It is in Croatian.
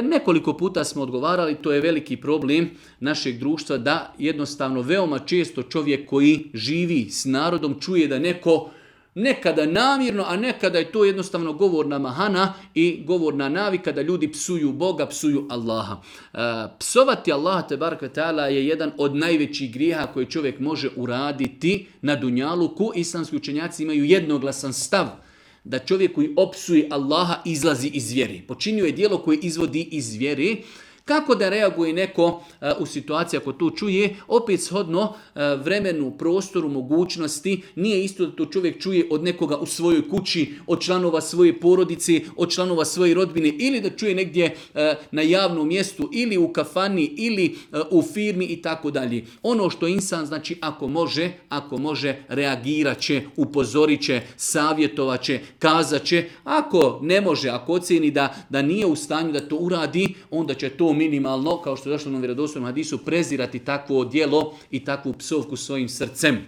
Nekoliko puta smo odgovarali, to je veliki problem našeg društva, da jednostavno veoma često čovjek koji živi s narodom čuje da neko nekada namjerno, a nekada je to jednostavno govorna mahana i govorna navika da ljudi psuju Boga, psuju Allaha. Psovati Allaha tebarek ve taala je jedan od najvećih grijeha koje čovjek može uraditi na dunjaluku. Islamski učenjaci imaju jednoglasan stav da čovjek koji opsuje Allaha izlazi iz vjere. Počinio je djelo koje izvodi iz vjere. Kako da reaguje neko u situaciji ako to čuje? Opet shodno vremenu, prostoru, mogućnosti. Nije isto da to čovjek čuje od nekoga u svojoj kući, od članova svoje porodice, od članova svoje rodbine, ili da čuje negdje na javnom mjestu, ili u kafani, ili u firmi i tako dalje. Ono što insan, znači ako može, reagirat će, upozorit će, savjetovat će, kazat će. Ako ne može, ako ocjeni da nije u stanju da to uradi, onda će to minimalno, kao što je došlo na vjerodostojnom hadisu, prezirati takvo djelo i takvu psovku svojim srcem.